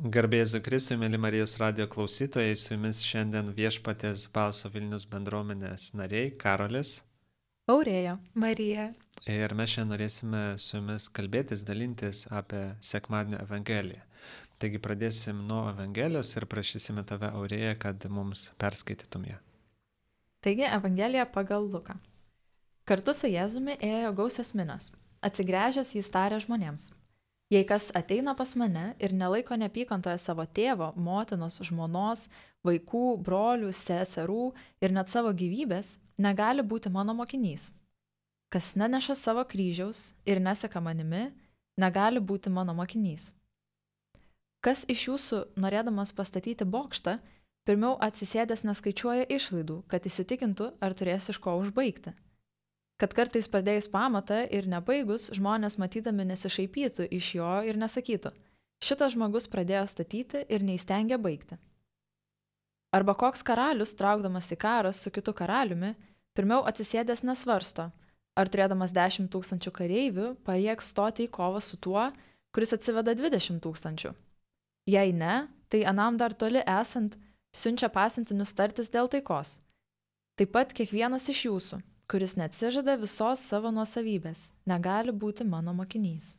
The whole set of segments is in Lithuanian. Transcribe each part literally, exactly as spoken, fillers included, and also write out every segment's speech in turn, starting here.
Garbėzu Kristui, mėly Marijos radijo klausytojai, su jumis šiandien Viešpaties Balso Vilnius bendruomenės nariai Karolis Aurėja. Marija. ir mes šiandien norėsime su jumis kalbėtis, dalintis apie sekmadienio Evangeliją. Taigi pradėsim nuo Evangelijos ir prašysime tave, Aurėja, kad mums perskaitytum ją. Taigi Evangelija pagal Luką. Kartu su Jėzumi ėjo gausios minios. Atsigręžęs jis tarė žmonėms: Jei kas ateina pas mane ir nelaiko neapykantoje savo tėvo, motinos, žmonos, vaikų, brolių, seserų ir net savo gyvybės, negali būti mano mokinys. Kas neneša savo kryžiaus ir neseka manimi, negali būti mano mokinys. Kas iš jūsų, norėdamas pastatyti bokštą, pirmiau atsisėdęs neskaičiuoja išlaidų, kad įsitikintų, ar turės iš ko užbaigti? Kad kartais pradėjus pamatą ir nebaigus, žmonės matydami nesišaipytų iš jo ir nesakytų: šitas žmogus pradėjo statyti ir neįstengė baigti. Arba koks karalius, traukdamas į karą su kitu karaliumi, pirmiau atsisėdęs nesvarsto, ar turėdamas dešimt tūkstančių kareivių pajėgs stoti į kovą su tuo, kuris atsiveda dvidešimt tūkstančių. Jei ne, tai anam dar toli esant siunčia pasiuntinius tartis dėl taikos. Taip pat kiekvienas iš jūsų, kuris neatsižada visos savo nuosavybės, negali būti mano mokinys.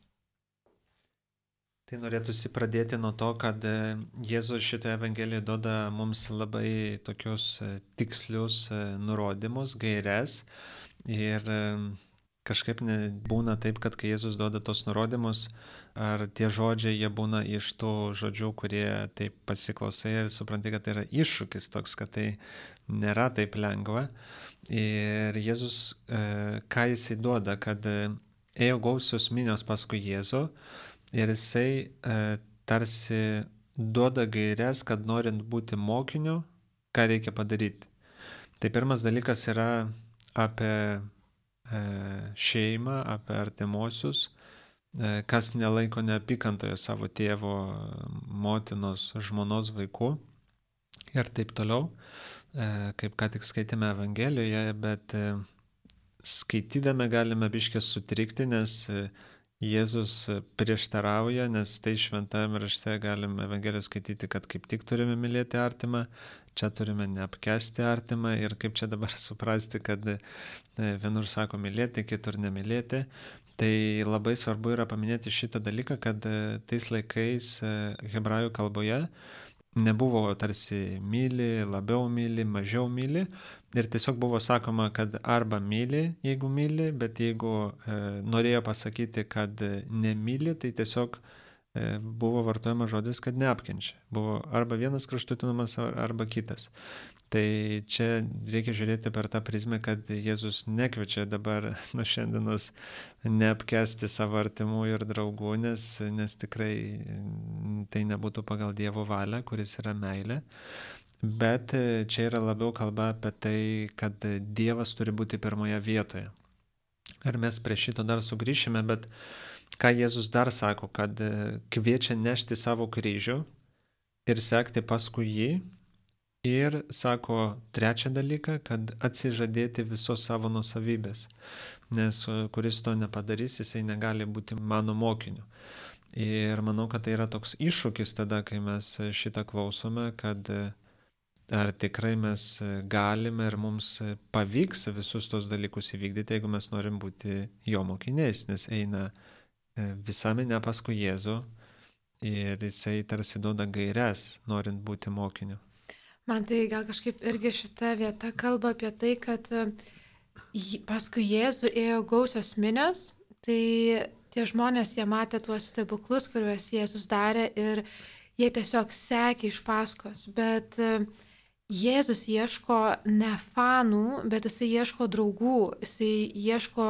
Tai norėtųsi pradėti nuo to, kad Jėzus šitoje Evangelijoje duoda mums labai tokius tikslius nurodymus, gaires. Ir kažkaip būna taip, kad kai Jėzus duoda tos nurodymus, ar tie žodžiai jie būna iš tų žodžių, kurie taip pasiklausai ir supranti, kad tai yra iššūkis toks, kad tai nėra taip lengva. Ir Jėzus, ką jisai duoda, kad ėjo gausios minios paskui Jėzų ir jisai tarsi duoda gaires, kad norint būti mokiniu, ką reikia padaryti. Tai pirmas dalykas yra apie šeimą, apie artimuosius, kas nelaiko neapykantoje savo tėvo, motinos, žmonos, vaikų ir taip toliau. Kaip ką tik skaitėme Evangelijoje, bet skaitydami galime biškį sutrikti, nes Jėzus prieštarauja, nes tai šventajame rašte galime Evangelijoje skaityti, kad kaip tik turime mylėti artimą, čia turime neapkęsti artimą ir kaip čia dabar suprasti, kad vienur sako mylėti, kitur nemylėti. Tai labai svarbu yra paminėti šitą dalyką, kad tais laikais hebrajų kalboje nebuvo tarsi myli, labiau myli, mažiau myli ir tiesiog buvo sakoma, kad arba myli, jeigu myli, bet jeigu e, norėjo pasakyti, kad nemyli, tai tiesiog e, buvo vartojama žodis, kad neapkenčia. Buvo arba vienas kraštutinumas, arba kitas. Tai čia reikia žiūrėti per tą prizmę, kad Jėzus nekviečia dabar nuo šiandienos neapkęsti savo artimų ir draugų, nes, nes tikrai tai nebūtų pagal Dievo valią, kuris yra meilė. Bet čia yra labiau kalba apie tai, kad Dievas turi būti pirmoje vietoje. Ir mes prie šito dar sugrįšime, bet ką Jėzus dar sako, kad kviečia nešti savo kryžių ir sekti paskui jį. Ir sako trečią dalyką, kad atsižadėti visos savo nuosavybės, nes kuris to nepadarys, jisai negali būti mano mokiniu. Ir manau, kad tai yra toks iššūkis tada, kai mes šitą klausome, kad ar tikrai mes galime ir mums pavyks visus tos dalykus įvykdyti, jeigu mes norim būti jo mokiniais, nes eina visa minia paskui Jėzų ir jisai tarsi duoda gaires, norint būti mokiniu. Man tai gal kažkaip irgi šita vieta kalba apie tai, kad paskui Jėzų ėjo gausios minios, tai tie žmonės, jie matė tuos stebuklus, kuriuos Jėzus darė ir jie tiesiog sekė iš paskos, bet Jėzus ieško ne fanų, bet jisai ieško draugų, jisai ieško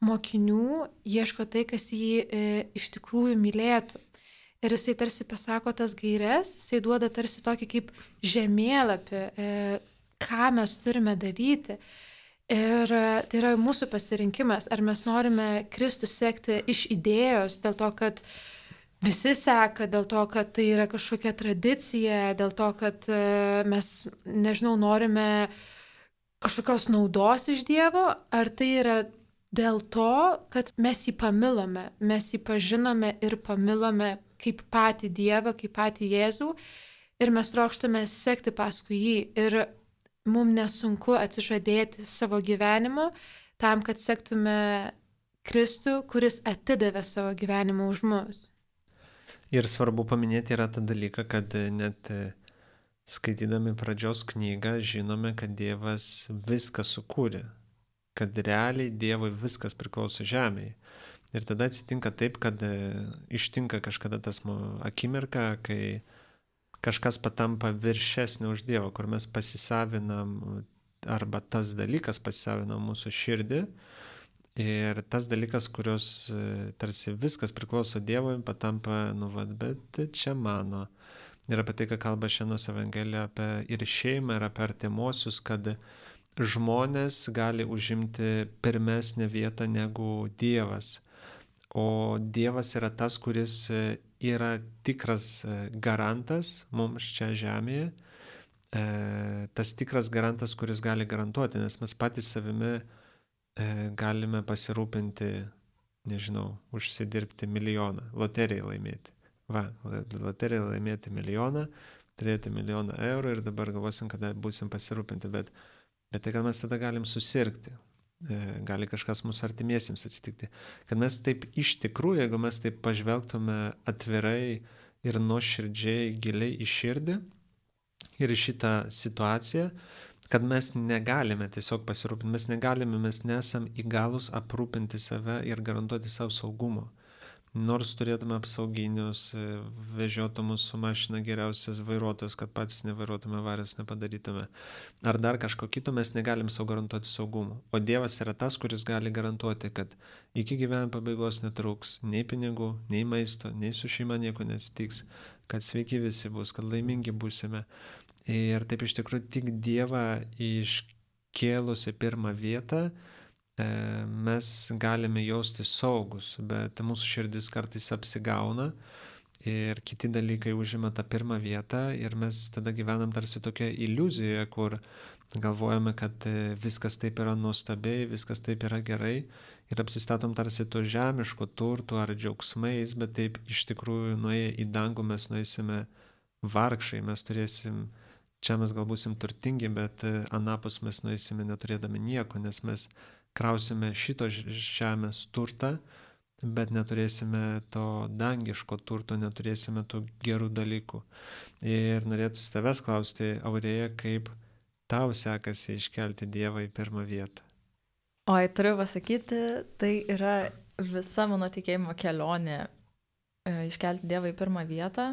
mokinių, ieško tai, kas jį e, iš tikrųjų mylėtų. Ir jisai tarsi pasako tas gaires, jisai duoda tarsi tokį kaip žemėlapį, e, ką mes turime daryti. Ir tai yra mūsų pasirinkimas, ar mes norime Kristų sekti iš idėjos, dėl to, kad visi seka, dėl to, kad tai yra kažkokia tradicija, dėl to, kad e, mes, nežinau, norime kažkokios naudos iš Dievo, ar tai yra dėl to, kad mes jį pamilome, mes jį pažinome ir pamilome kaip patį Dievą, kaip patį Jėzų ir mes trokštame sekti paskui jį ir mums nesunku atsižadėti savo gyvenimo tam, kad sektume Kristų, kuris atidavė savo gyvenimą už mus. Ir svarbu paminėti yra tą dalyką, kad net skaitydami pradžios knygą žinome, kad Dievas viską sukūrė, kad realiai Dievui viskas priklauso žemėje. Ir tada atsitinka taip, kad ištinka kažkada tas akimirka, kai kažkas patampa viršesnio už Dievą, kur mes pasisavinam arba tas dalykas pasisavinam mūsų širdį. Ir tas dalykas, kurios tarsi viskas priklauso Dievui, patampa, nu vad, bet čia mano. Ir apie tai, ką kalba šiandienos Evangelija, apie ir šeimą, ir apie artimuosius, kad žmonės gali užimti pirmesnę vietą negu Dievas. O Dievas yra tas, kuris yra tikras garantas mums čia žemėje. Tas tikras garantas, kuris gali garantuoti, nes mes patys savimi galime pasirūpinti, nežinau, užsidirbti milijoną, loteriją laimėti. Va, loteriją laimėti milijoną, turėti milijoną eurų ir dabar galvosim, kada būsim pasirūpinti, bet, bet tai, kad mes tada galim susirgti, gali kažkas mūsų artimiesiems atsitikti. Kad mes taip iš tikrųjų, jeigu mes taip pažvelgtume atvirai ir nuoširdžiai, giliai į širdį ir į šitą situaciją, kad mes negalime tiesiog pasirūpinti, mes negalime, mes nesam įgalus aprūpinti save ir garantuoti savo saugumo. Nors turėtume apsauginius, vežiotumus su mašina geriausias vairuotojas, kad patys nevairuotume, avarijos nepadarytume. Ar dar kažko kito mes negalim savo garantuoti saugumo. O Dievas yra tas, kuris gali garantuoti, kad iki gyvenimo pabaigos netrūks nei pinigų, nei maisto, nei su šeima nieko nesitiks, kad sveiki visi bus, kad laimingi būsime. Ir taip iš tikrųjų tik Dievą iškėlusi pirmą vietą mes galime jausti saugus, bet mūsų širdis kartais apsigauna ir kiti dalykai užima tą pirmą vietą ir mes tada gyvenam tarsi tokia iliuzijoje, kur galvojame, kad viskas taip yra nuostabiai, viskas taip yra gerai ir apsistatom tarsi to žemiško turtų ar džiaugsmais, bet taip iš tikrųjų nuėję į dangų mes nueisime vargšai, mes turėsim, čia mes gal būsim turtingi, bet anapus mes nueisime neturėdami nieko, nes mes krausime šito žemės turtą, bet neturėsime to dangiško turto, neturėsime tų gerų dalykų. Ir norėtųsi tavęs klausti, Aurėja, kaip tau sekasi iškelti Dievą į pirmą vietą? Oi, turiu pasakyti, tai yra visa mano tikėjimo kelionė iškelti Dievą į pirmą vietą,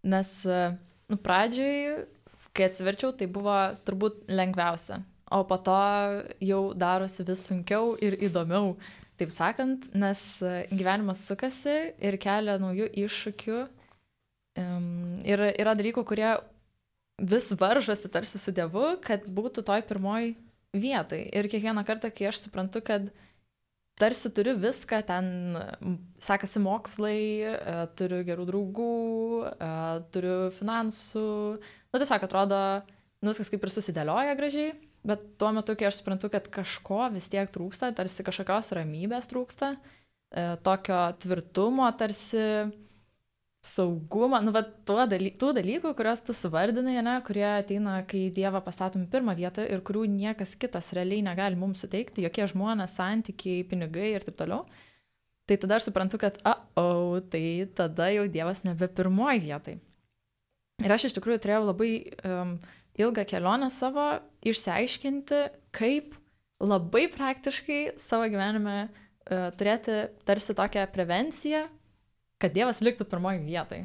nes nu, pradžioj, kai atsiverčiau, tai buvo turbūt lengviausia. O po to jau darosi vis sunkiau ir įdomiau, taip sakant, nes gyvenimas sukasi ir kelia naujų iššūkių. Ir yra dalykų, kurie vis varžosi tarsi su Dievu, kad būtų toj pirmoj vietoj. Ir kiekvieną kartą, kai aš suprantu, kad tarsi turiu viską, ten sekasi mokslai, turiu gerų draugų, turiu finansų, nu tiesiog atrodo, viskas kaip ir susidėlioja gražiai. Bet tuo metu, kai aš suprantu, kad kažko vis tiek trūksta, tarsi kažkokios ramybės trūksta, e, tokio tvirtumo, tarsi saugumo, nu, bet daly, tų dalykų, kuriuos tu suvardinai, ne, kurie ateina, kai Dievą pastatom pirmą vietą ir kurių niekas kitas realiai negali mums suteikti, jokie žmonės, santykiai, pinigai ir taip toliau, tai tada aš suprantu, kad, o, tai tada jau Dievas nebe pirmoj vietai. Ir aš iš tikrųjų turėjau labai um, ilgą kelionę savo išsiaiškinti, kaip labai praktiškai savo gyvenime uh, turėti tarsi tokią prevenciją, kad Dievas liktų pirmoji vietai.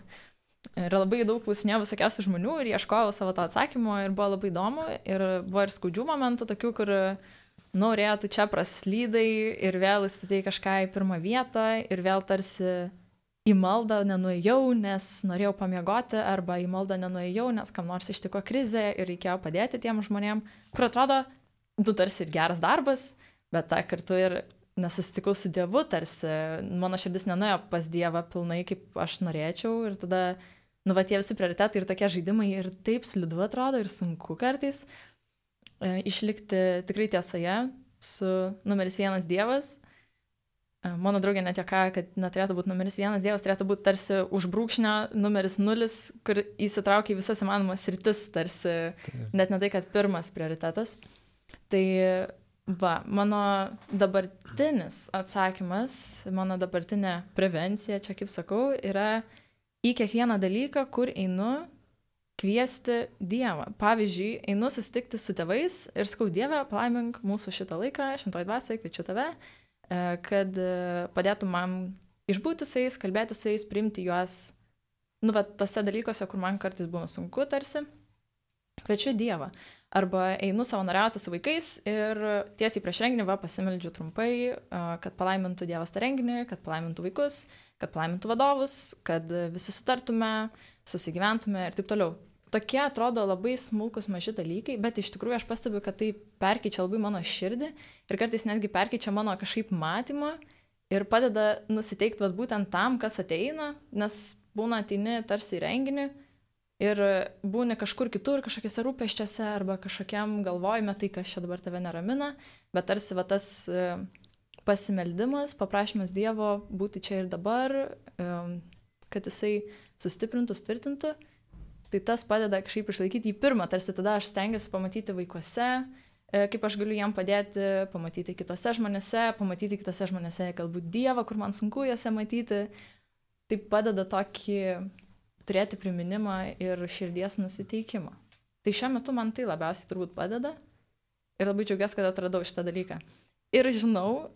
Ir labai daug klausinėjau visokiausių žmonių ir ieškojau savo to atsakymo ir buvo labai įdomu. Ir buvo ir skaudžių momentų tokių, kur norėjo, tu čia praslydai ir vėl įstatai kažką į pirmą vietą ir vėl tarsi į maldą nenuėjau, nes norėjau pamiegoti, arba į maldą nenuėjau, nes kam nors ištiko krizė ir reikėjo padėti tiem žmonėm, kur atrodo, tu tarsi ir geras darbas, bet tą kartu ir nesusitikau su Dievu, tarsi mano širdis nenuėjo pas Dievą pilnai, kaip aš norėčiau, ir tada, nu, va, tie visi prioritetai ir tokie žaidimai ir taip slidu atrodo ir sunku kartais e, išlikti tikrai tiesoje su numeris vienas Dievas. Mano draugė net juokauja, kad neturėtų būti numeris vienas, Dievas turėtų būti tarsi už brūkšnio numeris nulis, kur įsitraukia į visas įmanomas sritis, tarsi Taip. Net ne tai, kad pirmas prioritetas. Tai va, mano dabartinis atsakymas, mano dabartinė prevencija, čia kaip sakau, yra į kiekvieną dalyką, kur einu, kviesti Dievą. Pavyzdžiui, einu susitikti su tėvais ir sakau, Dieve, palaimink mūsų šitą laiką, šventoji dvasia, kviečiu tave, kad padėtų man išbūti su jais, kalbėti su jais, priimti juos, nu, bet tose dalykuose, kur man kartais būna sunku tarsi, kviečiu Dievą. Arba einu savanoriauti su vaikais ir tiesiai prieš renginį va pasimeldžiu trumpai, kad palaimintų Dievas tą renginį, kad palaimintų vaikus, kad palaimintų vadovus, kad visi sutartume, susigyventume ir taip toliau. Tokie atrodo labai smulkus maži dalykai, bet iš tikrųjų aš pastebiu, kad tai perkeičia labai mano širdį ir kartais netgi perkeičia mano kažkaip matymą ir padeda nusiteikti vat, būtent tam, kas ateina, nes būna ateini tarsi į renginį ir būni kažkur kitur, kažkokiose rūpeščiuose arba kažkokiam galvojime, tai kas čia dabar tave neramina, bet tarsi va, tas pasimeldimas, paprašymas Dievo būti čia ir dabar, kad jisai sustiprintų, sutvirtintų. Tai tas padeda kažkaip išlaikyti jį pirmą, tarsi tada aš stengiuosi pamatyti vaikuose, kaip aš galiu jam padėti, pamatyti kitose žmonėse, pamatyti kitose žmonėse galbūt Dievą, kur man sunku juose matyti. Tai padeda tokį turėti priminimą ir širdies nusiteikimą. Tai šiuo metu man tai labiausiai turbūt padeda ir labai džiaugiuosi, kad atradau šitą dalyką. Ir žinau,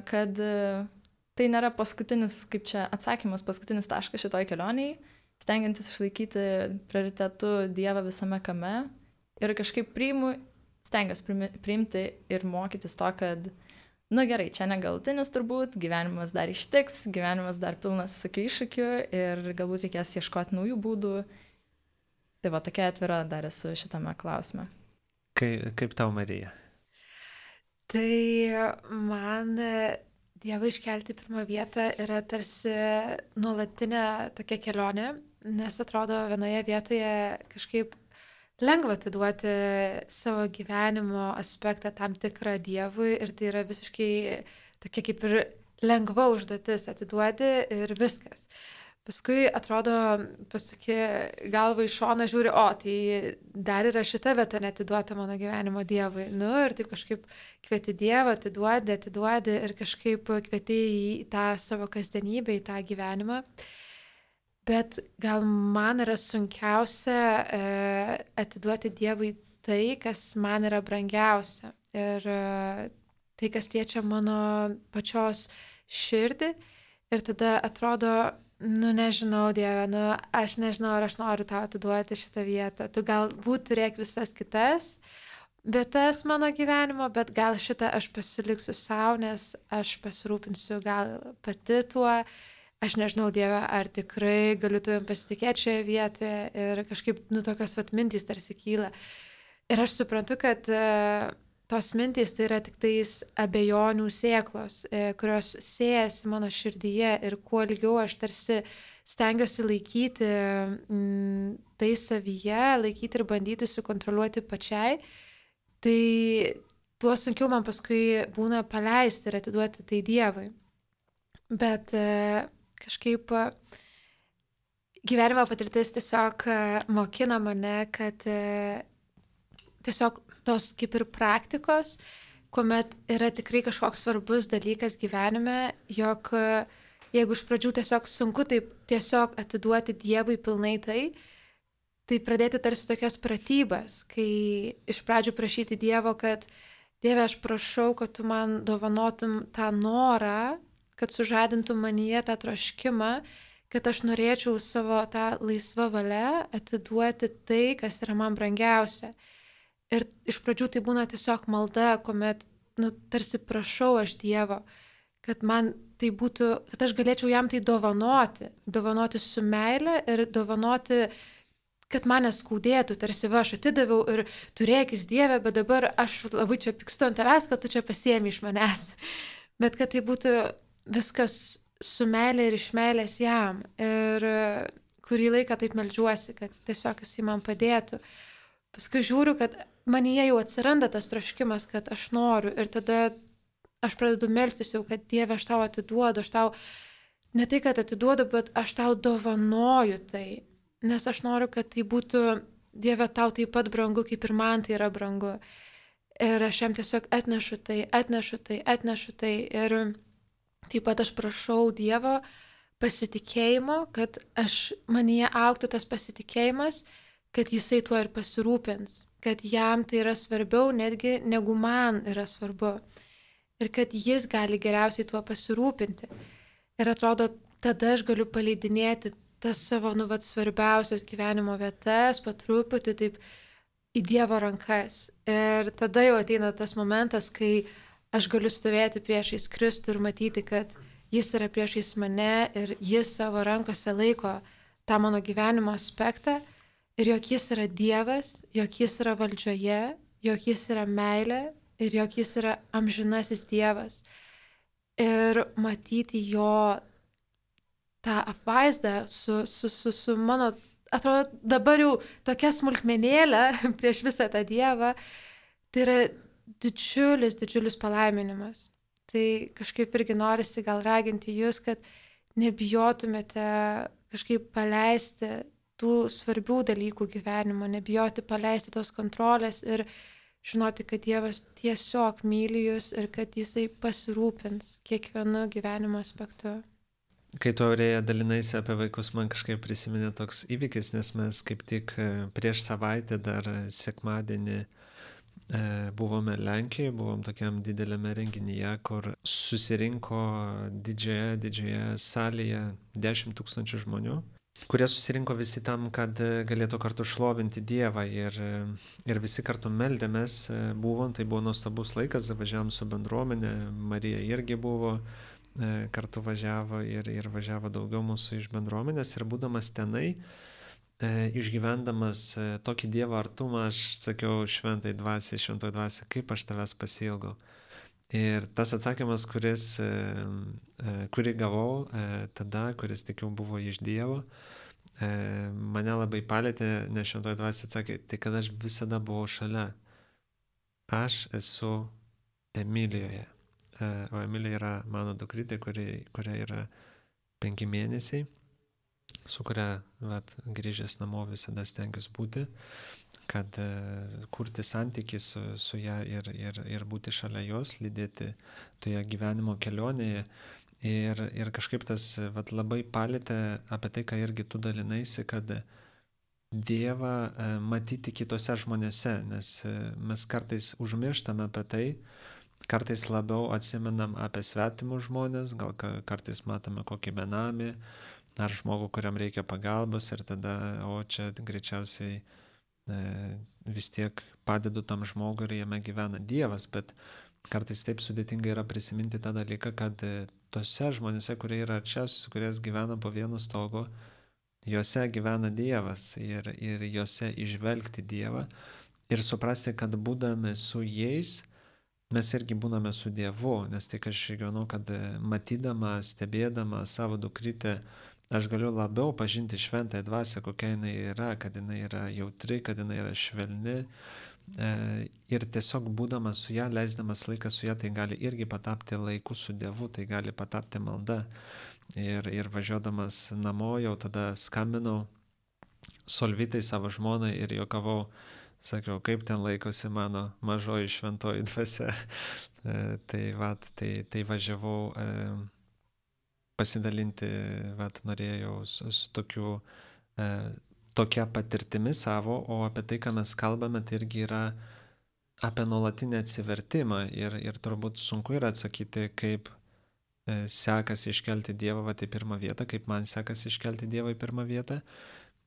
kad tai nėra paskutinis, kaip čia atsakymas, paskutinis taškas šitoj kelioniai, stengiantis išlaikyti prioritetu Dievą visame kame ir kažkaip priimu, stengiuosi priimti ir mokytis to, kad, na gerai, čia negalutinis turbūt, gyvenimas dar ištiks, gyvenimas dar pilnas visokių iššūkių ir galbūt reikės ieškoti naujų būdų. Tai va, tokia atvira dar esu šitame klausime. Kaip, kaip tau, Marija? Tai man Dievą iškelti pirmą vietą yra tarsi nuolatinė tokia kelionė, nes atrodo vienoje vietoje kažkaip lengva atiduoti savo gyvenimo aspektą tam tikrą Dievui ir tai yra visiškai tokia kaip ir lengva užduotis atiduoti ir viskas. Paskui atrodo, pasakė galva iš šono žiūri, o tai dar yra šita vieta neatiduota mano gyvenimo Dievui. Nu ir taip kažkaip kvieti Dievą, atiduodi, atiduodi ir kažkaip kvieti į tą savo kasdienybę, į tą gyvenimą. Bet gal man yra sunkiausia e, atiduoti Dievui tai, kas man yra brangiausia. Ir e, tai, kas liečia mano pačios širdį. Ir tada atrodo, nu nežinau, Dieve, nu aš nežinau, ar aš noriu tau atiduoti šitą vietą. Tu galbūt turėk visas kitas vietas mano gyvenimo, bet gal šitą aš pasiliksiu savo, nes aš pasirūpinsiu gal pati tuo. Aš nežinau, Dieve, ar tikrai galiu tavim pasitikėti šioje vietoje ir kažkaip, nu, tokios vat mintys tarsi kyla. Ir aš suprantu, kad uh, tos mintys tai yra tik tais abejonių sėklos, uh, kurios siejasi mano širdyje ir kuo ilgiau aš tarsi stengiuosi laikyti mm, tai savyje, laikyti ir bandyti sukontroliuoti pačiai, tai tuo sunkiau man paskui būna paleisti ir atiduoti tai Dievui. Bet uh, kažkaip gyvenimo patirtis tiesiog mokina mane, kad tiesiog tos kaip ir praktikos, kuomet yra tikrai kažkoks svarbus dalykas gyvenime, jog jeigu iš pradžių tiesiog sunku taip tiesiog atiduoti Dievui pilnai tai, tai pradėti tarsi tokias pratybas, kai iš pradžių prašyti Dievo, kad Dieve, aš prašau, kad tu man dovanotum tą norą, kad sužadintų manyje tą troškimą, kad aš norėčiau savo tą laisvą valią atiduoti tai, kas yra man brangiausia. Ir iš pradžių tai būna tiesiog malda, kuomet, nu, tarsi prašau aš Dievo, kad man tai būtų, kad aš galėčiau jam tai dovanoti, dovanoti su meile ir dovanoti, kad mane skaudėtų, tarsi va, aš atidaviau ir turėkis Dieve, bet dabar aš labai čia pykstu ant tavęs, kad tu čia pasiemi iš manęs. Bet kad tai būtų viskas su meilė ir iš meilės jam. Ir kurį laiką taip meldžiuosi, kad tiesiog jis man padėtų. Paskui žiūriu, kad manyje jau atsiranda tas troškimas, kad aš noriu. Ir tada aš pradedu melstis jau, kad Dieve, aš tau atiduodu, aš tau ne tai, kad atiduodu, bet aš tau dovanoju tai, nes aš noriu, kad tai būtų, Dieve, tau taip pat brangu, kaip ir man tai yra brangu. Ir aš jam tiesiog atnešu tai, atnešu tai, atnešu tai. Ir taip pat aš prašau Dievo pasitikėjimo, kad aš manyje augtų tas pasitikėjimas, kad jisai tuo ir pasirūpins, kad jam tai yra svarbiau netgi negu man yra svarbu. Ir kad jis gali geriausiai tuo pasirūpinti. Ir atrodo, tada aš galiu paleidinėti tas savo, nu, vat, svarbiausias gyvenimo vietas, patruputį taip į Dievo rankas. Ir tada jau ateina tas momentas, kai aš galiu stovėti priešais Kristų ir matyti, kad jis yra priešais mane ir jis savo rankose laiko tą mano gyvenimo aspektą ir jog jis yra Dievas, jog jis yra valdžioje, jog jis yra meilė ir jog jis yra amžinasis Dievas. Ir matyti jo tą apvaizdą su, su, su, su mano, atrodo, dabar jau tokia smulkmenėlė prieš visą tą Dievą, tai yra didžiulis, didžiulis palaiminimas. Tai kažkaip irgi norisi gal raginti jūs, kad nebijotumėte kažkaip paleisti tų svarbių dalykų gyvenimo, nebijoti paleisti tos kontrolės ir žinoti, kad Dievas tiesiog myli jūs ir kad jisai pasirūpins kiekvienu gyvenimo aspektu. Kai tu, Aurėja, dalinaisi apie vaikus, man kažkaip prisiminė toks įvykis, nes mes kaip tik prieš savaitę dar sekmadienį e, buvome Lenkijoje, buvom tokiam dideliame renginyje, kur susirinko didžioje, didžioje salėje dešimt tūkstančių žmonių, kurie susirinko visi tam, kad galėtų kartu šlovinti Dievą ir, ir visi kartu meldėmės buvom, tai buvo nuostabus laikas, važiavom su bendruomenė, Marija irgi buvo, kartu važiavo ir, ir važiavo daugiau mūsų iš bendruomenės ir būdamas tenai, e, išgyvendamas e, tokį Dievo artumą, aš sakiau šventai dvasiai, šventoji dvasia, kaip aš tavęs pasiilgau. Ir tas atsakymas, kuris, e, e, kurį gavau e, tada, kuris tikiu buvo iš Dievo, e, mane labai palėtė, nes šventoji dvasia atsakė, tai kad aš visada buvau šalia. Aš esu Emilijoje. O Emilija yra mano dukrytė, kuri, kuria yra penki mėnesiai, su kuria vat, grįžęs namo visada stengiuosi būti, kad uh, kurti santykį su, su ją ir, ir, ir būti šalia jos, lydėti toje gyvenimo kelionėje. Ir, ir kažkaip tas vat, labai palėtė apie tai, ką irgi tu dalinaisi, kad Dievą uh, matyti kitose žmonėse, nes uh, mes kartais užmirštame apie tai, kartais labiau atsimenam apie svetimus žmonės, gal kartais matome kokį benamį ar žmogų, kuriam reikia pagalbos ir tada, o čia greičiausiai e, vis tiek padedu tam žmogui ir jame gyvena Dievas, bet kartais taip sudėtinga yra prisiminti tą dalyką, kad e, tose žmonėse, kurie yra čia, su kuriais gyvena po vienu stogu, juose gyvena Dievas ir, ir juose išvelgti Dievą ir suprasti, kad būdami su jais, mes irgi būname su Dievu, nes tai, aš gyvenau, kad matydama, stebėdama savo dukrytę, aš galiu labiau pažinti šventąją dvasią, kokia jinai yra, kad jinai yra jautri, kad jinai yra švelni. E, ir tiesiog būdamas su ją, leisdamas laiką su ją, tai gali irgi patapti laiku su Dievu, tai gali patapti malda. Ir, ir važiuodamas namo jau tada skambinau Solvitai savo žmonai ir juokavau, sakiau, kaip ten laikosi mano mažoji šventoji dvasia. E, tai, vat, tai, tai važiavau e, pasidalinti, vat, norėjau su, su tokiu, e, tokia patirtimi savo, o apie tai, ką mes kalbame, tai irgi yra apie nuolatinį atsivertimą ir, ir turbūt sunku yra atsakyti, kaip e, sekasi iškelti Dievą vat, į pirmą vietą, kaip man sekasi iškelti Dievą į pirmą vietą.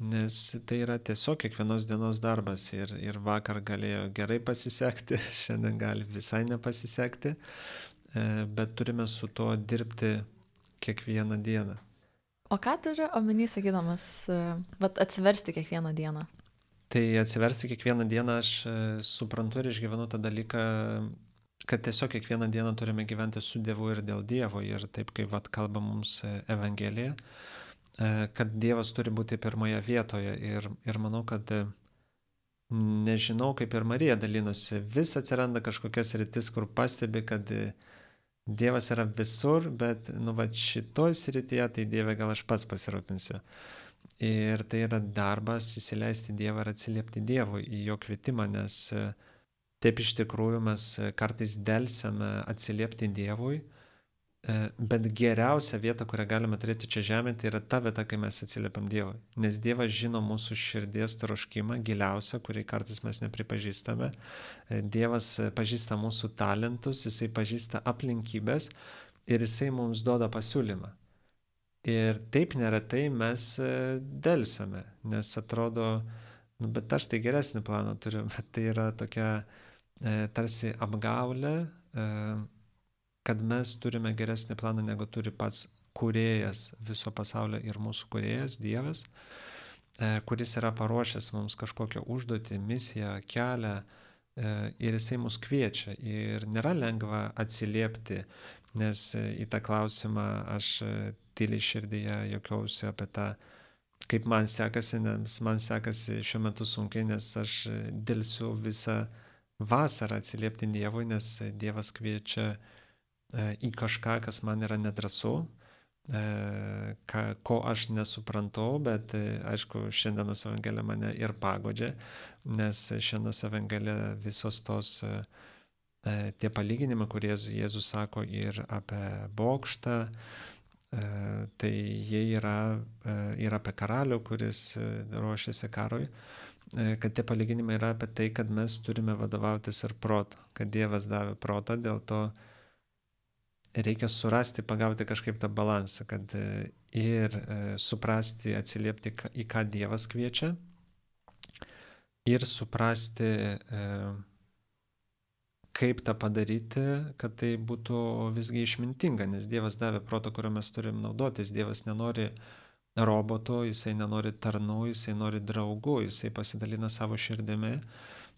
Nes tai yra tiesiog kiekvienos dienos darbas ir, ir vakar galėjo gerai pasisekti, šiandien gali visai nepasisekti, bet turime su to dirbti kiekvieną dieną. O ką turi omeny sakydamas, vat, atsiversti kiekvieną dieną? Tai atsiversti kiekvieną dieną aš suprantu ir išgyvenu tą dalyką, kad tiesiog kiekvieną dieną turime gyventi su Dievu ir dėl Dievo ir taip kaip vat, kalba mums Evangelija, kad Dievas turi būti pirmoje vietoje ir, ir manau, kad nežinau, kaip ir Marija dalinosi, vis atsiranda kažkokias rytis, kur pastebi, kad Dievas yra visur, bet nu, va, šitoj srityje, tai Dieve gal aš pats pasirūpinsiu. Ir tai yra darbas įsileisti Dievą ir atsiliepti Dievui į jo kvietimą, nes taip iš tikrųjų mes kartais delsiame atsiliepti Dievui, bet geriausia vieta, kurią galime turėti čia žemėje, tai yra ta vieta, kai mes atsiliepiam Dievui. Nes Dievas žino mūsų širdies troškimą, giliausią, kurį kartais mes nepripažįstame. Dievas pažįsta mūsų talentus, jisai pažįsta aplinkybės ir jisai mums duoda pasiūlymą. Ir taip neretai mes delsiame, nes atrodo, nu, bet aš tai geresnį planą turiu, bet tai yra tokia e, tarsi apgaulė, e, kad mes turime geresnį planą, negu turi pats kūrėjas viso pasaulio ir mūsų kūrėjas, Dievas, e, kuris yra paruošęs mums kažkokią užduotį, misiją, kelią, e, ir jisai mus kviečia. Ir nėra lengva atsiliepti, nes į tą klausimą aš tyliai širdyje juokiausi apie tą, kaip man sekasi, nes man sekasi šiuo metu sunkiai, nes aš dėlsiu visą vasarą atsiliepti Dievui, nes Dievas kviečia į kažką, kas man yra nedrąsu, ką, ko aš nesuprantu, bet aišku, šiandienos evangelija mane ir pagodžia, nes šiandienos evangelija visos tos tie palyginimai, kurie Jėzus sako ir apie bokštą, tai jie yra ir apie karalių, kuris ruošiasi karui, kad tie palyginimai yra apie tai, kad mes turime vadovautis ir protą, kad Dievas davė protą, dėl to reikia surasti, pagauti kažkaip tą balansą, kad ir suprasti, atsiliepti, į ką Dievas kviečia, ir suprasti, kaip tą padaryti, kad tai būtų visgi išmintinga, nes Dievas davė protą, kurio mes turim naudotis. Dievas nenori roboto, jisai nenori tarnų, jisai nori draugų, jisai pasidalina savo širdimi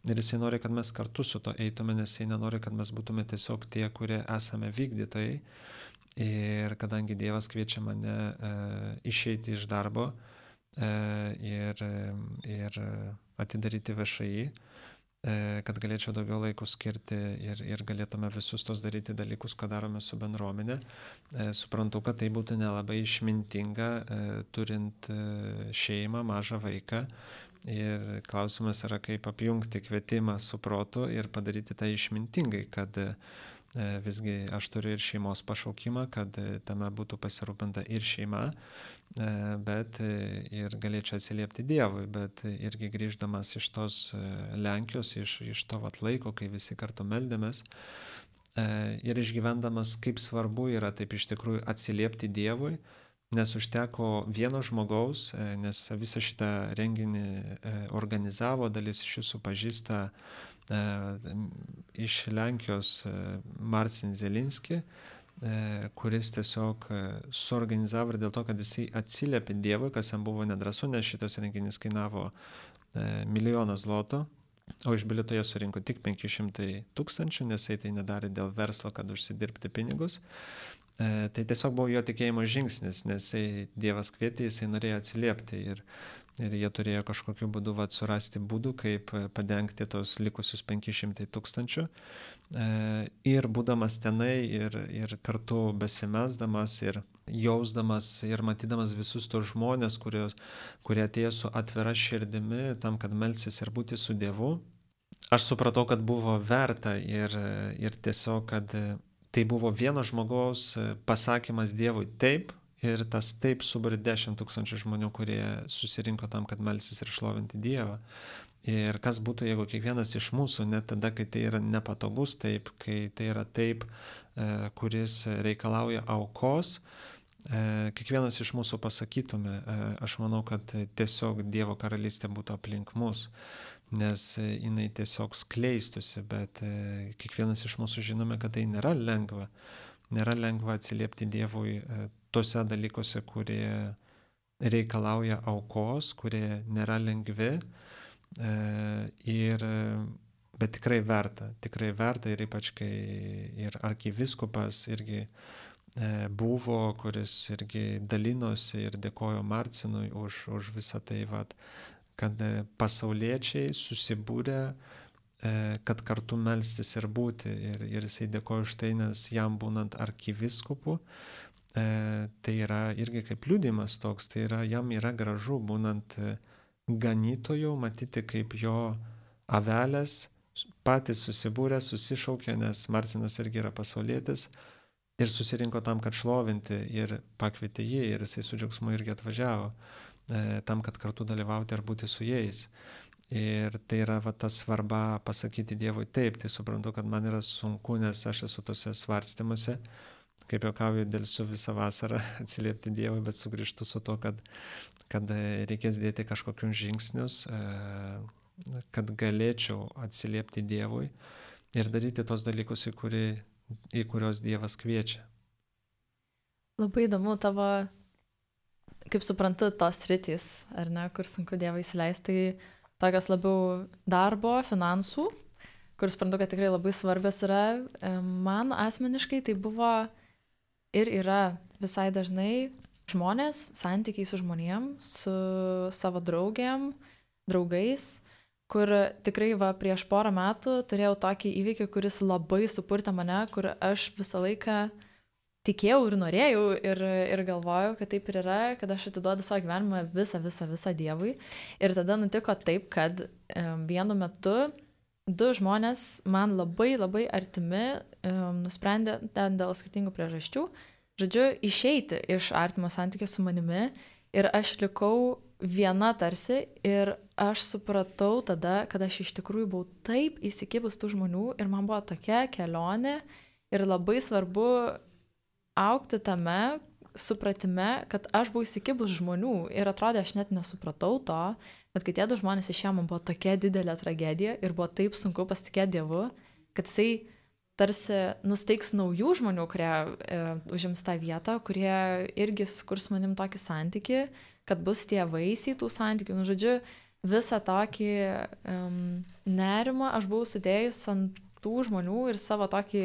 ir jisai nori, kad mes kartu su to eitume, nes jisai nenori, kad mes būtume tiesiog tie, kurie esame vykdytojai. Ir kadangi Dievas kviečia mane e, išeiti iš darbo e, ir, ir atidaryti V Š I, kad galėčiau daugiau laiko skirti ir, ir galėtume visus tos daryti dalykus, ką darome su bendruomenė. Suprantu, kad tai būtų nelabai išmintinga, turint šeimą, mažą vaiką. Ir klausimas yra, kaip apjungti kvietimą su protu ir padaryti tai išmintingai, kad visgi aš turiu ir šeimos pašaukimą, kad tame būtų pasirūpinta ir šeima, bet ir galėčiau atsiliepti Dievui, bet irgi grįždamas iš tos Lenkijos, iš, iš to vat laiko, kai visi kartu meldėmės, ir išgyvendamas, kaip svarbu yra taip iš tikrųjų atsiliepti Dievui, nes užteko vieno žmogaus, nes visą šitą renginį organizavo, dalis iš jūsų pažįsta iš Lenkijos Marcin Zelinski, kuris tiesiog suorganizavo ir dėl to, kad jisai atsiliepė Dievui, kas jam buvo nedrąsu, nes šitas renginys kainavo milijoną zlotų, o iš bilieto jie surinko tik penki šimtai tūkstančių, nes jisai tai nedarė dėl verslo, kad užsidirbti pinigus. Tai tiesiog buvo jo tikėjimo žingsnis, nes jisai Dievas kvietė, jisai norėjo atsiliepti ir Ir jie turėjo kažkokiu būdu vat, surasti būdų, kaip padengti tos likusius penki šimtai tūkstančių. Ir būdamas tenai ir, ir kartu besimelsdamas ir jausdamas ir matydamas visus tos žmonės, kurios, kurie atėjo su atvira širdimi tam, kad melsis ir būti su Dievu, aš supratau, kad buvo verta ir, ir tiesiog, kad tai buvo vieno žmogaus pasakymas Dievui taip, ir tas taip suburė dešimt tūkstančių žmonių, kurie susirinko tam, kad melsis ir šlovinti Dievą. Ir kas būtų, jeigu kiekvienas iš mūsų, net tada, kai tai yra nepatogus taip, kai tai yra taip, kuris reikalauja aukos, kiekvienas iš mūsų pasakytume, aš manau, kad tiesiog Dievo karalystė būtų aplink mus, nes jinai tiesiog skleistusi, bet kiekvienas iš mūsų žinome, kad tai nėra lengva. Nėra lengva atsiliepti Dievui tose dalykuose, kurie reikalauja aukos, kurie nėra lengvi, ir, bet tikrai verta, tikrai verta ir ypač kai ir arkivyskupas irgi buvo, kuris irgi dalinosi ir dėkojo Marcinui už, už visą tai, vat, kad pasauliečiai susibūrė kad kartu melstis ir būti. Ir, ir jisai dėkoja už tai, nes jam būnant arkivyskupu, tai yra irgi kaip liudijimas toks, tai yra, jam yra gražu būnant ganytoju, matyti kaip jo avelės patys susibūrė, susišaukė, nes Marcinas irgi yra pasaulietis, ir susirinko tam, kad šlovinti, ir pakvietė jį, ir jisai su džiaugsmu irgi atvažiavo tam, kad kartu dalyvauti ir būti su jais. Ir tai yra va, ta svarba pasakyti Dievui taip, tai suprantu, kad man yra sunku, nes aš esu tose svarstymuose, kaip juokauju, dėlsiu visą vasarą atsiliepti Dievui, bet sugrįžtu su to, kad, kad reikės dėti kažkokius žingsnius, kad galėčiau atsiliepti Dievui ir daryti tos dalykus, į, kuri, į kurios Dievas kviečia. Labai įdomu tavo, kaip suprantu, tos sritys, ar ne, kur sunku Dievą įsileisti, tai tokios labiau darbo, finansų, kur suprantu, kad tikrai labai svarbios yra. Man asmeniškai tai buvo ir yra visai dažnai žmonės, santykiai su žmonėm, su savo draugėm, draugais, kur tikrai va, prieš porą metų turėjau tokį įvykį, kuris labai supurtė mane, kur aš visą laiką tikėjau ir norėjau ir, ir galvojau, kad taip ir yra, kad aš atiduodu savo gyvenimą visą, visą, visą Dievui. Ir tada nutiko taip, kad um, vienu metu du žmonės man labai, labai artimi um, nusprendė ten dėl skirtingų priežasčių, žodžiu, išeiti iš artimo santykio su manimi ir aš likau viena tarsi ir aš supratau tada, kad aš iš tikrųjų buvau taip įsikibus tų žmonių ir man buvo tokia kelionė ir labai svarbu augti tame supratime, kad aš buvau įsikibus žmonių ir atrodė, aš net nesupratau to, bet kai tie du žmonės išėjo, man buvo tokia didelė tragedija ir buvo taip sunku pasitikėti Dievu, kad jisai tarsi nusteiks naujų žmonių, kurie e, užims tą vietą, kurie irgi sukurs manim tokį santykį, kad bus tie vaisiai tų santykių. Nu, žodžiu, visą tokį um, nerimą aš buvau sudėjus ant tų žmonių ir savo tokį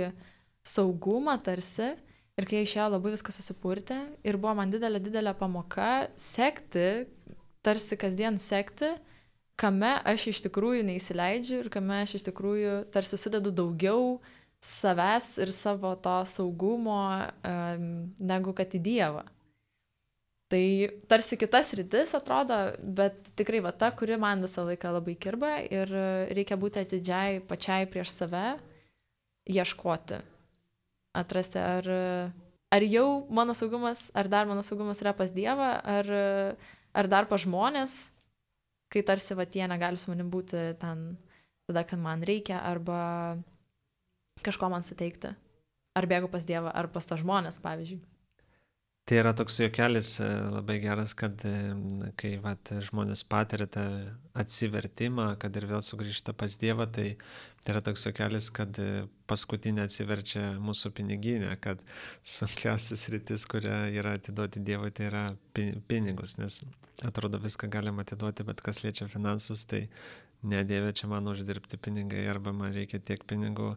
saugumą tarsi. Ir kai išėjo, labai viskas susipurtė ir buvo man didelė, didelė pamoka sekti, tarsi kasdien sekti, kame aš iš tikrųjų neįsileidžiu ir kame aš iš tikrųjų tarsi sudedu daugiau savęs ir savo to saugumo um, negu kad į Dievą. Tai tarsi kitas rytis atrodo, bet tikrai va ta, kuri man visą laiką labai kirba ir reikia būti atidžiai pačiai prieš save, ieškoti. Atrasti, ar, ar jau mano saugumas, ar dar mano saugumas yra pas Dievą, ar, ar dar pas žmonės, kai tarsi va tie negali su manim būti ten tada, kad man reikia, arba kažko man suteikti. Ar bėgu pas Dievą, ar pas tą žmonės, pavyzdžiui. Tai yra toks juokelis labai geras, kad kai vat, žmonės patiria tą atsivertimą, kad ir vėl sugrįžta pas Dievą, tai, tai yra toks juokelis, kad paskutinė atsiverčia mūsų piniginė, kad sunkiausias rytis, kurią yra atiduoti Dievui, tai yra pinigus, nes atrodo viską galima atiduoti, bet kas liečia finansus, tai ne Dieve, čia man uždirbti pinigai, arba man reikia tiek pinigų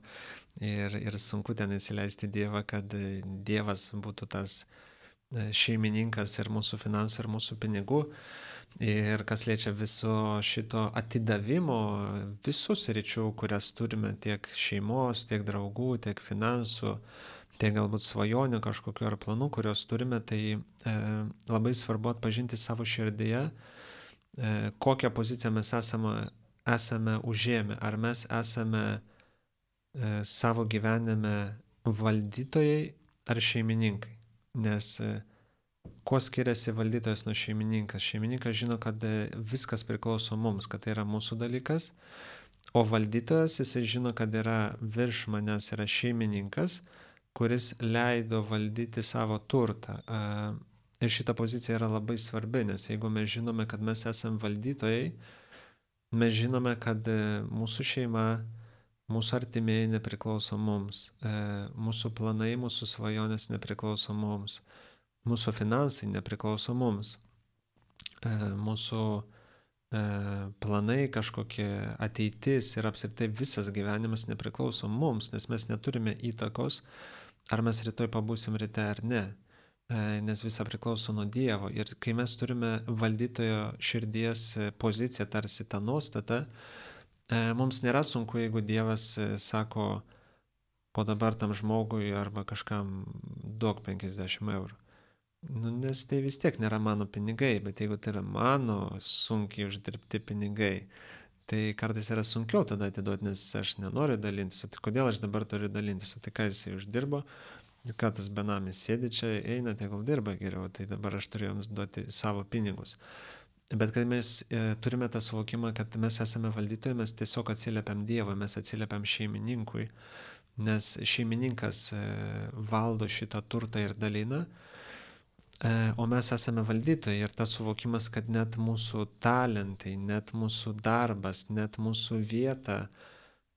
ir, ir sunku ten įsileisti Dievą, kad Dievas būtų tas šeimininkas ir mūsų finansų, ir mūsų pinigų. Ir kas liečia viso šito atidavimo, visus ryčių, kurias turime, tiek šeimos, tiek draugų, tiek finansų, tiek galbūt svajonių kažkokiu ar planų, kurios turime, tai e, labai svarbu atpažinti savo širdyje, e, kokią poziciją mes esame, esame užėmę. Ar mes esame e, savo gyvenime valdytojai ar šeimininkai. Nes kuo skiriasi valdytojas nuo šeimininkas? Šeimininkas žino, kad viskas priklauso mums, kad tai yra mūsų dalykas, o valdytojas jisai žino, kad yra virš manęs yra šeimininkas, kuris leido valdyti savo turtą. Ir šita pozicija yra labai svarbi, nes jeigu mes žinome, kad mes esame valdytojai, mes žinome, kad mūsų šeima, mūsų artimieji nepriklauso mums, mūsų planai, mūsų svajonės nepriklauso mums, mūsų finansai nepriklauso mums, mūsų planai, kažkokie ateitis ir apskritai visas gyvenimas nepriklauso mums, nes mes neturime įtakos, ar mes rytoj pabūsim ryte ar ne, nes visa priklauso nuo Dievo. Ir kai mes turime valdytojo širdies poziciją, tarsi tą nuostatą, Mums nėra sunku, jeigu Dievas sako, o dabar tam žmogui arba kažkam duok penkiasdešimt eurų. Nu, nes tai vis tiek nėra mano pinigai, bet jeigu tai yra mano sunkiai uždirbti pinigai, tai kartais yra sunkiau tada atiduoti, nes aš nenoriu dalintis. O tai kodėl aš dabar turiu dalintis? O tai ką jisai uždirbo? Ką tas benamis sėdi čia, eina, tegul dirba geriau, tai dabar aš turiu jums duoti savo pinigus. Bet kad mes e, turime tą suvokimą, kad mes esame valdytojai, mes tiesiog atsiliepiam Dievui, mes atsiliepiam šeimininkui, nes šeimininkas e, valdo šitą turtą ir dalina, o mes esame valdytojai ir tas suvokimas, kad net mūsų talentai, net mūsų darbas, net mūsų vieta,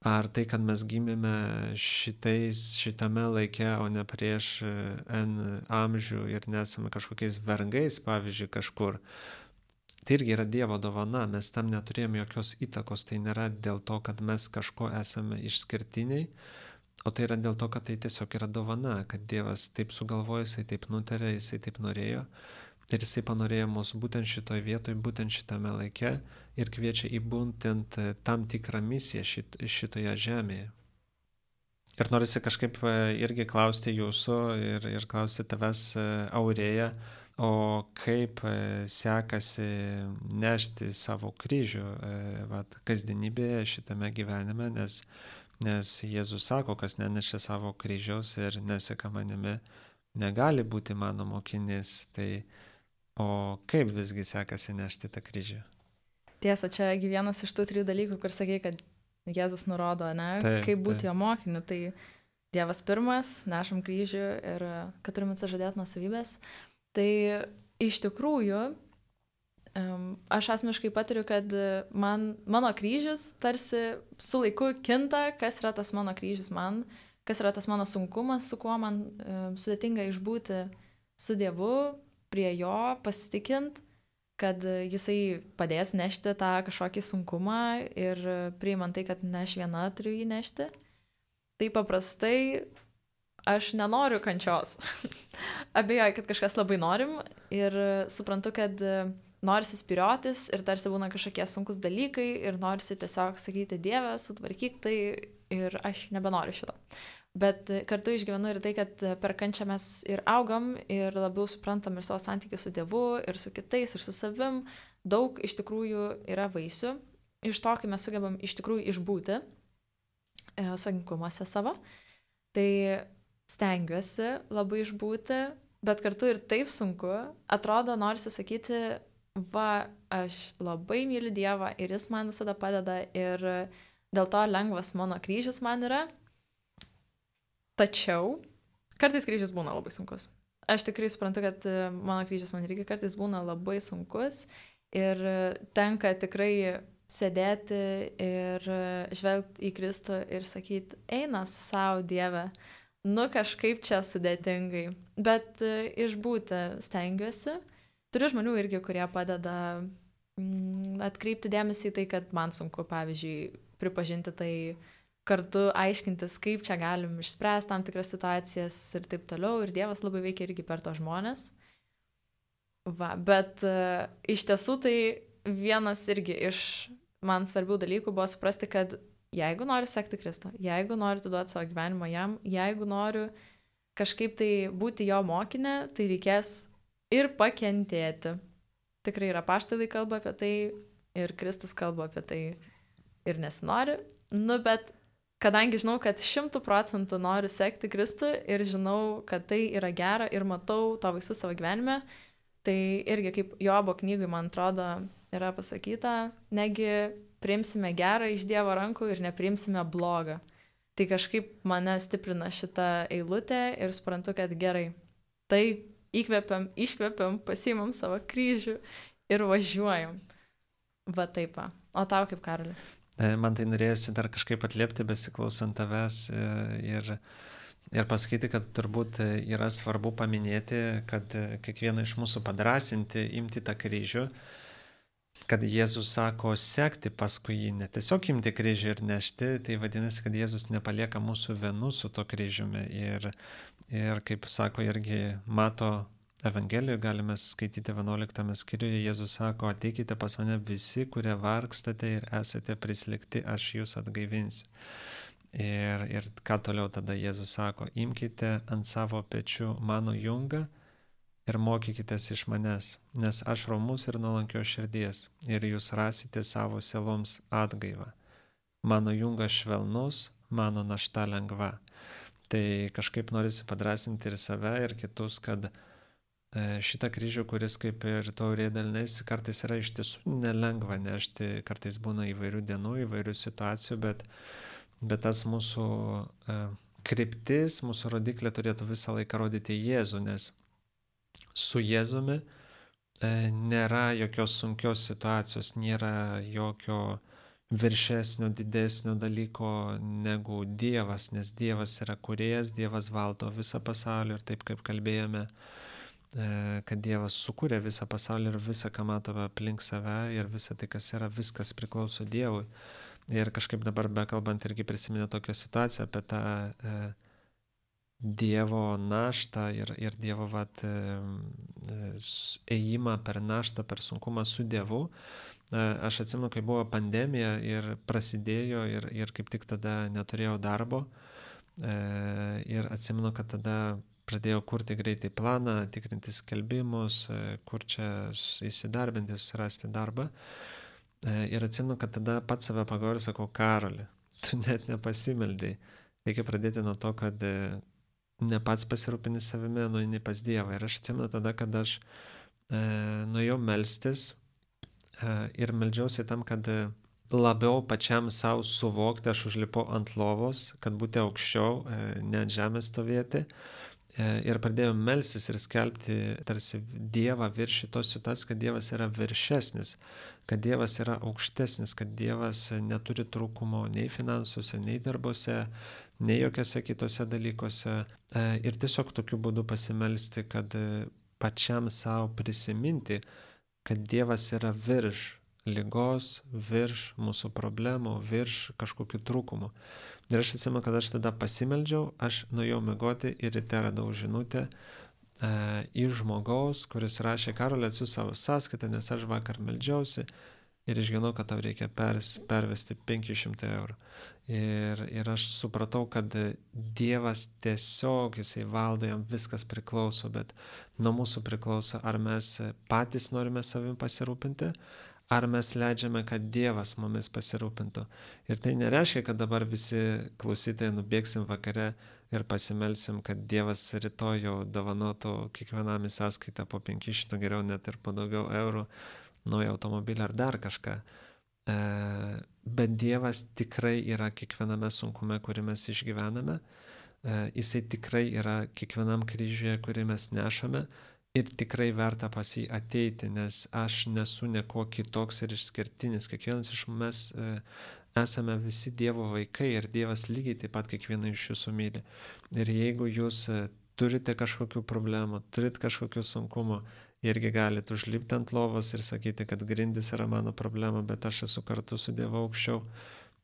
ar tai, kad mes gimėme šitais, šitame laike, o ne prieš N amžių ir nesame kažkokiais vergais, pavyzdžiui, kažkur, tai irgi yra Dievo dovana, mes tam neturėjome jokios įtakos, tai nėra dėl to, kad mes kažko esame išskirtiniai, o tai yra dėl to, kad tai tiesiog yra dovana, kad Dievas taip sugalvojo, jisai taip nutarė, jisai taip norėjo ir jisai panorėjo mus būtent šitoje vietoje, būtent šitame laike ir kviečia į būtent tam tikrą misiją šit, šitoje žemėje. Ir norisi kažkaip irgi klausti jūsų ir, ir klausti tavęs, Aurėja, o kaip sekasi nešti savo kryžių vat, kasdienybėje šitame gyvenime, nes Nes Jėzus sako, kas nenešia savo kryžiaus ir neseka manimi, negali būti mano mokinys. Tai o kaip visgi sekasi nešti tą kryžių? Tiesa, čia vienas iš tų trijų dalykų, kur sakė, kad Jėzus nurodo, ne, taip, kaip būti taip. Jo mokiniu. Tai Dievas pirmas, nešam kryžių ir kad turime atsižadėti nuo savybės. Tai iš tikrųjų, aš asmeniškai patiriu, kad man, mano kryžius tarsi su laiku kinta, kas yra tas mano kryžius man, kas yra tas mano sunkumas, su kuo man um, sudėtinga išbūti su Dievu, prie jo pasitikint, kad jisai padės nešti tą kažkokį sunkumą ir priimant tai, kad ne aš viena turiu jį nešti. Tai paprastai aš nenoriu kančios. Abejoju, kad kažkas labai norim ir suprantu, kad norisi spyriotis ir tarsi būna kažkokie sunkus dalykai ir norisi tiesiog sakyti, Dieve, sutvarkyk tai ir aš nebenoriu šito. Bet kartu išgyvenu ir tai, kad per kančią mes ir augam ir labiau suprantam ir savo santykį su Dievu ir su kitais ir su savim. Daug iš tikrųjų yra vaisių. Iš to, kai mes sugebam iš tikrųjų išbūti e, sunkumuose savo, tai stengiuosi labai išbūti, bet kartu ir taip sunku. Atrodo, norisi sakyti, va, aš labai myliu Dievą ir jis man visada padeda ir dėl to lengvas mano kryžius man yra. Tačiau kartais kryžius būna labai sunkus. Aš tikrai suprantu, kad mano kryžius man irgi kartais būna labai sunkus ir tenka tikrai sėdėti ir žvelgti į Kristų ir sakyti, eina savo Dieve, nu kažkaip čia sudėtingai, bet išbūti stengiuosi. Turiu žmonių irgi, kurie padeda mm, atkreipti dėmesį į tai, kad man sunku, pavyzdžiui, pripažinti tai, kartu aiškintis, kaip čia galim išspręsti tam tikras situacijas ir taip toliau. Ir Dievas labai veikia irgi per to žmonės. Va, bet uh, iš tiesų tai vienas irgi iš man svarbių dalykų buvo suprasti, kad jeigu noriu sekti Kristų, jeigu noriu atiduoti savo gyvenimą jam, jeigu noriu kažkaip tai būti jo mokinė, tai reikės ir pakentėti. Tikrai yra apaštalai kalba apie tai ir Kristus kalba apie tai ir nesinori. Nu, bet kadangi žinau, kad šimtų procentų noriu sekti Kristų ir žinau, kad tai yra gera ir matau to visus savo gyvenime, tai irgi kaip Jobo knygui, man atrodo, yra pasakyta, negi priimsime gerą iš Dievo rankų ir nepriimsime blogą. Tai kažkaip mane stiprina šitą eilutę ir suprantu, kad gerai, tai įkvepiam, iškvepiam, pasiimam savo kryžių ir važiuojam. Va taip. O tau kaip, Karoli? Man tai norėjusi dar kažkaip atliepti, besiklausant tavęs ir, ir pasakyti, kad turbūt yra svarbu paminėti, kad kiekvieną iš mūsų padrasinti, imti tą kryžių, kad Jėzus sako sekti paskui jį, ne tiesiog imti kryžių ir nešti, tai vadinasi, kad Jėzus nepalieka mūsų vienų su to kryžiumi ir, ir kaip sako, irgi mato Evangelijoje galime skaityti vienuoliktame skyriuje, Jėzus sako, ateikite pas mane visi, kurie vargstate ir esate prislėgti, aš jūs atgaivinsiu. Ir, ir ką toliau tada Jėzus sako, imkite ant savo pečių mano jungą ir mokykitės iš manęs, nes aš romus ir nuolankios širdies, ir jūs rasite savo sieloms atgaivą. Mano jungas švelnus, mano našta lengva. Tai kažkaip norisi padrasinti ir save, ir kitus, kad šitą kryžių, kuris kaip ir taurė delnais, kartais yra iš tiesų nelengva nešti, kartais būna įvairių dienų, įvairių situacijų, bet, bet tas mūsų e, kryptis, mūsų rodiklė turėtų visą laiką rodyti Jėzų, nes su Jėzumi e, nėra jokios sunkios situacijos, nėra jokio viršesnio, didesnio dalyko negu Dievas, nes Dievas yra kūrėjas, Dievas valdo visą pasaulį ir taip kaip kalbėjome, kad Dievas sukūrė visą pasaulį ir visą, ką matome aplink save ir visą tai, kas yra, viskas priklauso Dievui. Ir kažkaip dabar bekalbant irgi prisiminė tokią situaciją apie tą e, Dievo naštą ir, ir Dievo vat, e, ėjimą per naštą, per sunkumą su Dievu. E, aš atsimenu, kai buvo pandemija ir prasidėjo ir, ir kaip tik tada neturėjau darbo. E, ir atsimenu, kad tada pradėjau kurti greitai planą, tikrinti skelbimus, kur čia įsidarbinti, susirasti darbą. Ir atsimenu, kad tada pats save pagaužiu, sakau, Karoli, tu net nepasimeldei. Reikia pradėti nuo to, kad ne pats pasirūpini savimi, nueini pas Dievą. Ir aš atsimenu tada, kad aš e, nuėjau melstis e, ir meldžiausi tam, kad labiau pačiam savo suvokti, aš užlipau ant lovos, kad būti aukščiau, e, ne ant žemės stovėti. Ir pradėjau melstis ir skelbti tarsi Dievą virš šitos situacijos, kad Dievas yra viršesnis, kad Dievas yra aukštesnis, kad Dievas neturi trūkumo nei finansuose, nei darbuose, nei jokiose kitose dalykuose. Ir tiesiog tokiu būdu pasimelsti, kad pačiam savo prisiminti, kad Dievas yra virš ligos, virš mūsų problemų, virš kažkokių trūkumų. Ir aš atsimenu, kad aš tada pasimeldžiau, aš nuėjau miegoti ir ryte radau žinutę e, iš žmogaus, kuris rašė, Karoli, atsiųsk savo sąskaitą, nes aš vakar meldžiausi ir išgirdau, kad tau reikia pers, pervesti penki šimtai eurų. Ir, ir aš supratau, kad Dievas tiesiog, jisai valdo, jam viskas priklauso, bet nuo mūsų priklauso, ar mes patys norime savim pasirūpinti, ar mes leidžiame, kad Dievas mumis pasirūpintų. Ir tai nereiškia, kad dabar visi klausytojai nubėgsim vakare ir pasimelsim, kad Dievas rytoj jau dovanotų kiekvienam į sąskaitą po penki šimtai, geriau net ir po daugiau eurų, naują automobilį ar dar kažką. E, bet Dievas tikrai yra kiekviename sunkume, kurį mes išgyvename. E, jisai tikrai yra kiekvienam kryžiuje, kurį mes nešame. Ir tikrai verta pas jį ateiti, nes aš nesu nieko kitoks ir išskirtinis. Kiekvienas iš mes e, esame visi Dievo vaikai ir Dievas lygiai taip pat kiekvieną iš jūsų myli. Ir jeigu jūs e, turite kažkokių problemų, turite kažkokių sunkumų, irgi galite užlipti ant lovos ir sakyti, kad grindis yra mano problema, bet aš esu kartu su Dievu aukščiau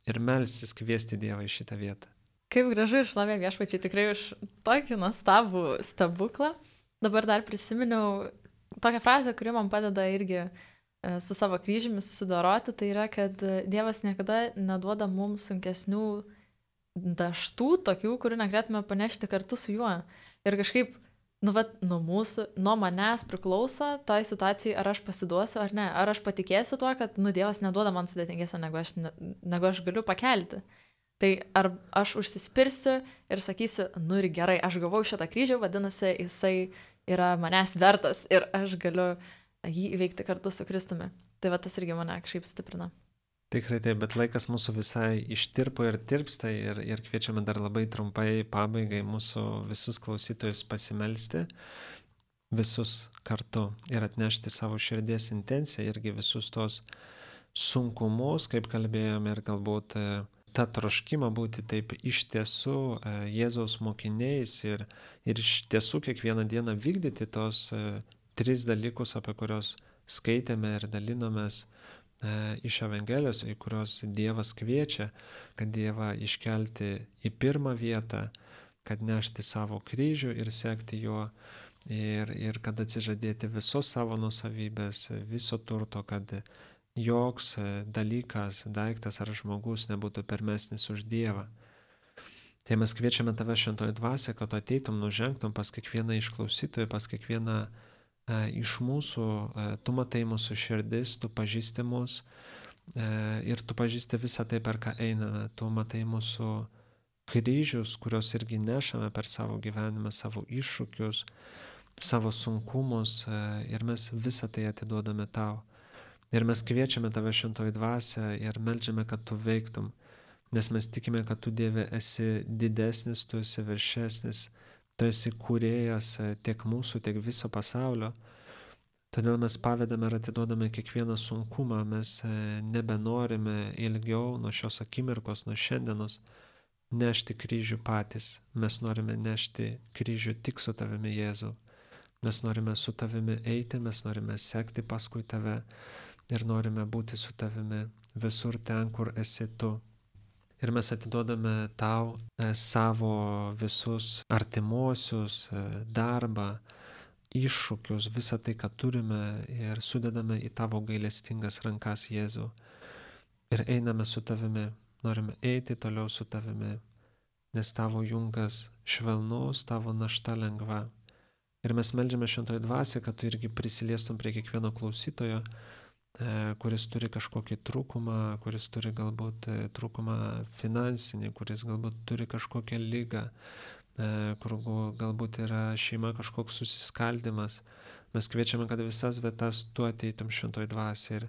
ir melstis, kviesti Dievą į šitą vietą. Kaip gražu ir šlovė Viešpačiui tikrai už tokį nuostabų stebuklą. Dabar dar prisiminiau tokią frazę, kuri man padeda irgi su savo kryžiumi susidoroti, tai yra, kad Dievas niekada neduoda mums sunkesnių daštų, tokių, kurių negalėtume panešti kartu su juo. Ir kažkaip, nu, vat, nuo mūsų, nuo manęs priklauso toj situacijai, ar aš pasiduosiu ar ne. Ar aš patikėsiu tuo, kad, nu, Dievas neduoda man sudėtingesnio, negu aš, negu aš galiu pakelti. Tai ar aš užsispirsiu ir sakysiu, nu ir gerai, aš gavau šitą kryžių, vadinasi, jisai yra manęs vertas ir aš galiu jį įveikti kartu su Kristumi. Tai va tas irgi mane kažkaip stiprina. Tikrai taip, bet laikas mūsų visai ištirpo ir tirpsta ir, ir kviečiame dar labai trumpai pabaigai mūsų visus klausytojus pasimelsti, visus kartu ir atnešti savo širdies intenciją irgi visus tos sunkumus, kaip kalbėjome, ir galbūt tą troškimą būti taip iš tiesų Jėzaus mokiniais ir, ir iš tiesų kiekvieną dieną vykdyti tos tris dalykus, apie kuriuos skaitėme ir dalinomės e, iš Evangelijos, į kuriuos Dievas kviečia, kad Dievą iškelti į pirmą vietą, kad nešti savo kryžių ir sekti juo, ir, ir kad atsižadėti visos savo nusavybės, viso turto, kad joks dalykas, daiktas ar žmogus nebūtų pirmesnis už Dievą. Tai mes kviečiame tave šventoji dvasia, kad tu ateitum, nužengtum pas kiekvieną iš klausytojų, pas kiekvieną e, iš mūsų, e, tu matai mūsų širdis, tu pažįsti mus e, ir tu pažįsti visą tai, per ką einame, tu matai mūsų kryžius, kuriuos irgi nešame per savo gyvenimą, savo iššūkius, savo sunkumus e, ir mes visą tai atiduodame tau. Ir mes kviečiame tave šventoji dvasia ir meldžiame, kad tu veiktum. Nes mes tikime, kad tu, Dieve, esi didesnis, tu esi viršesnis, tu esi kūrėjas tiek mūsų, tiek viso pasaulio. Todėl mes pavedame ir atiduodame kiekvieną sunkumą, mes nebenorime ilgiau nuo šios akimirkos, nuo šiandienos nešti kryžių patys. Mes norime nešti kryžių tik su tavimi, Jėzau. Mes norime su tavimi eiti, mes norime sekti paskui tave ir norime būti su tavimi visur ten, kur esi tu. Ir mes atiduodame tau e, savo visus artimuosius, e, darbą, iššūkius, visą tai, ką turime ir sudedame į tavo gailestingas rankas, Jėzau. Ir einame su tavimi, norime eiti toliau su tavimi, nes tavo jungas švelnus, tavo našta lengva. Ir mes meldžiame šventoji dvasia, kad tu irgi prisiliestum prie kiekvieno klausytojo, kuris turi kažkokį trūkumą, kuris turi galbūt trūkumą finansinį, kuris galbūt turi kažkokią ligą, kur galbūt yra šeima kažkoks susiskaldimas. Mes kviečiame, kad visas vietas tu ateitum šventoji dvasia ir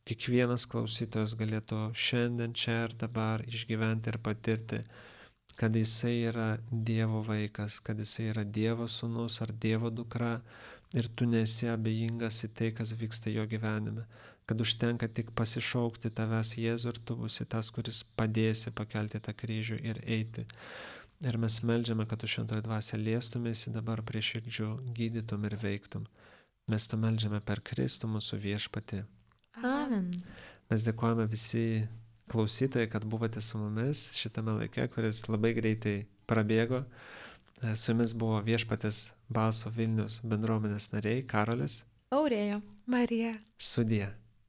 kiekvienas klausytojas galėtų šiandien, čia ir dabar išgyventi ir patirti, kad jisai yra Dievo vaikas, kad jisai yra Dievo sūnus ar Dievo dukra ir tu nesi abejingas į tai, kas vyksta jo gyvenime. Kad užtenka tik pasišaukti tavęs, Jėzų, ir tu būsi tas, kuris padėsi pakelti tą kryžių ir eiti. Ir mes meldžiame, kad tu šventoji dvasia liestumėsi dabar prie širdžių, gydytum ir veiktum. Mes tu meldžiame per Kristų mūsų viešpatį. Amen. Mes dėkojame visi klausytojai, kad buvote su mumis šitame laike, kuris labai greitai prabėgo. Su jumis buvo Viešpaties balso Vilnius bendruomenės nariai Karolis, Aurėja, Marija. Sudie.